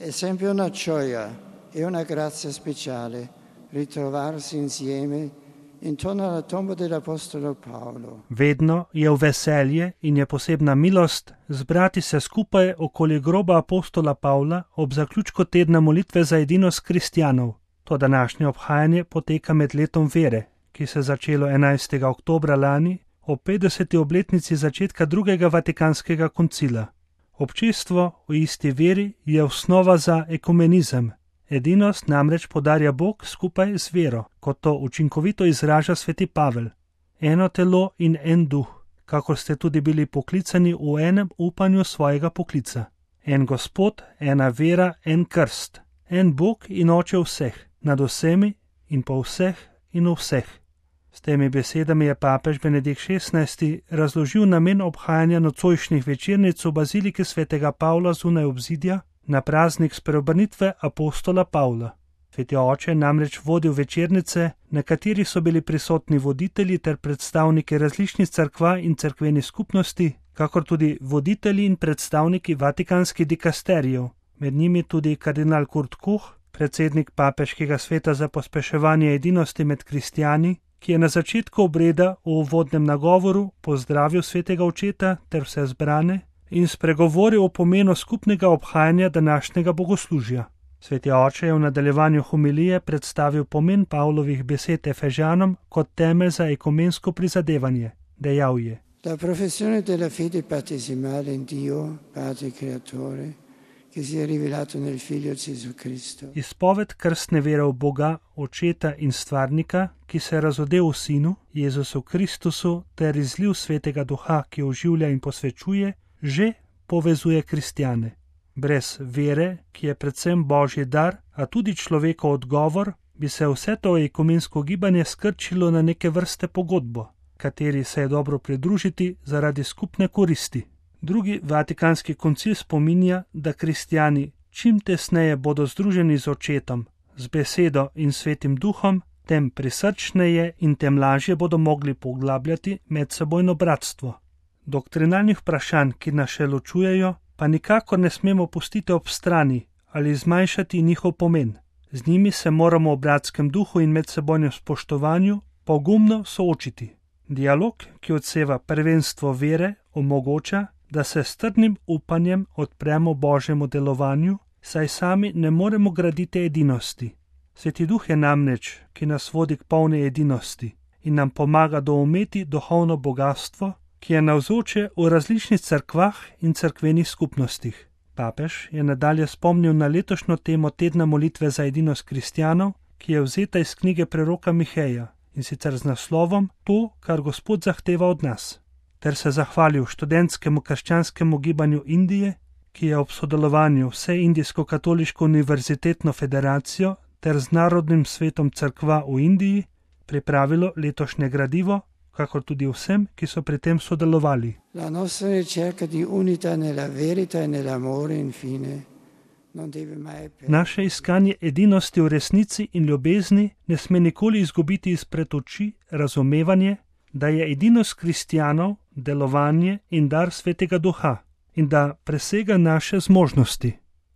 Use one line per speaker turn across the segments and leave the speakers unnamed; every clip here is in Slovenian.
È sempre una gioia e una grazia speciale ritrovarsi insieme intorno alla tomba dell'Apostolo Paolo.
Vedno je v veselje in je posebna milost zbrati se skupaj okoli groba apostola Pavla ob zaključku tedna molitve za edinost kristjanov. To današnje obhajanje poteka med letom vere, ki se je začelo 11. oktobra lani ob 50. obletnici začetka drugega vatikanskega koncila. Občestvo v isti veri je osnova za ekumenizem. Edinost namreč podarja Bog skupaj z vero, kot to učinkovito izraža sveti Pavel. Eno telo in en duh, kakor ste tudi bili poklicani v enem upanju svojega poklica. En Gospod, ena vera, en krst, en Bog in Oče vseh, nad vsemi in po vseh in v vseh. S temi besedami je papež Benedikt XVI razložil namen obhajanja nocojšnjih večernic v baziliki svetega Pavla zunaj obzidja na praznik spreobrnitve apostola Pavla. Sveti oče je namreč vodil večernice, na katerih so bili prisotni voditelji ter predstavniki različnih cerkva in cerkvenih skupnosti, kakor tudi voditelji in predstavniki vatikanskih dikasterijev, med njimi tudi kardinal Kurt Koch, predsednik papeškega sveta za pospeševanje edinosti med kristjani, ki je na začetku obreda v uvodnem nagovoru pozdravil svetega očeta ter vse zbrane in spregovoril o pomenu skupnega obhajanja današnjega bogoslužja. Sveti oče je v nadaljevanju homilije predstavil pomen Pavlovih besed Efežanom kot temelj za ekumensko prizadevanje. Dejal je:
La professione della fede battesimale in Dio, Padre Creatore, che si è rivelato nel Figlio Gesù Cristo.
Izpoved krstne vere v Boga, Očeta in Stvarnika, ki se je razodel v Sinu, Jezusu Kristusu, ter izliv svetega duha, ki oživlja in posvečuje, že povezuje kristjane. Brez vere, ki je predvsem božji dar, a tudi človekov odgovor, bi se vse to ekumensko gibanje skrčilo na neke vrste pogodbo, kateri se je dobro pridružiti zaradi skupne koristi. Drugi vatikanski koncil spominja, da kristjani čim tesneje bodo združeni z Očetom, z besedo in svetim duhom, tem prisrčneje in tem lažje bodo mogli poglabljati medsebojno bratstvo. Doktrinalnih vprašanj, ki nas še ločujejo, pa nikakor ne smemo pustiti ob strani ali zmanjšati njihov pomen. Z njimi se moramo v bratskem duhu in medsebojnem spoštovanju pogumno soočiti. Dialog, ki odseva prvenstvo vere, omogoča, da se s trdnim upanjem odpremo Božjemu delovanju, saj sami ne moremo graditi edinosti. Sveti duh je namreč, ki nas vodi k polni edinosti in nam pomaga doumeti duhovno bogastvo, ki je navzoče v različnih cerkvah in cerkvenih skupnostih. Papež je nadalje spomnil na letošnjo temo tedna molitve za edinost kristjanov, ki je vzeta iz knjige preroka Miheja, in sicer z naslovom To, kar Gospod zahteva od nas, ter se zahvalil študentskemu krščanskemu gibanju Indije, ki je ob sodelovanju vse Indijsko-katoliško univerzitetno federacijo ter z Narodnim svetom cerkva v Indiji pripravilo letošnje gradivo, kakor tudi vsem, ki so pri tem sodelovali.
La nostra ricerca di unità nella verità e nell'amore infine non deve mai perdere.
Naše iskanje edinosti v resnici in ljubezni ne sme nikoli izgubiti izpred oči razumevanje, da je edinost kristjanov delovanje in dar svetega duha in da presega naše zmožnosti.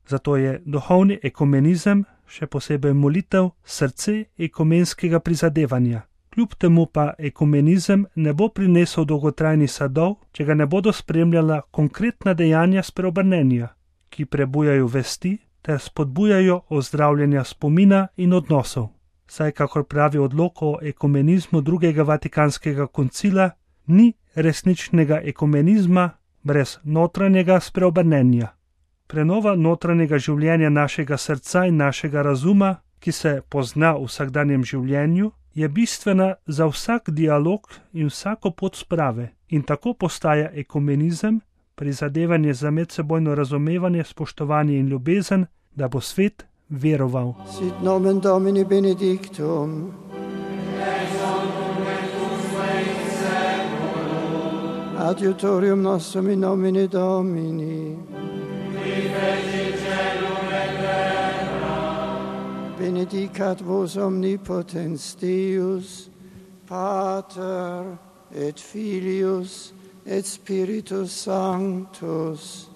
Zato je duhovni ekumenizem, še posebej molitev, srce ekumenskega prizadevanja. Kljub temu pa ekumenizem ne bo prinesel dolgotrajnih sadov, če ga ne bodo spremljala konkretna dejanja spreobrnenja, ki prebujajo vesti ter spodbujajo ozdravljanja spomina in odnosov. Saj, kakor pravi odlok o ekumenizmu drugega vatikanskega koncila, ni resničnega ekumenizma brez notranjega spreobrnenja. Prenova notranjega življenja našega srca in našega razuma, ki se pozna v vsakdanjem življenju, je bistvena za vsak dialog in vsako pot sprave in tako postaja ekumenizem, prizadevanje za medsebojno razumevanje, spoštovanje in ljubezen, da bo svet veroval.
Sit nomen Domini benedictum. Adiutorium nostrum in nomine Domini. Benedicat vos omnipotens Deus, Pater et Filius et Spiritus Sanctus.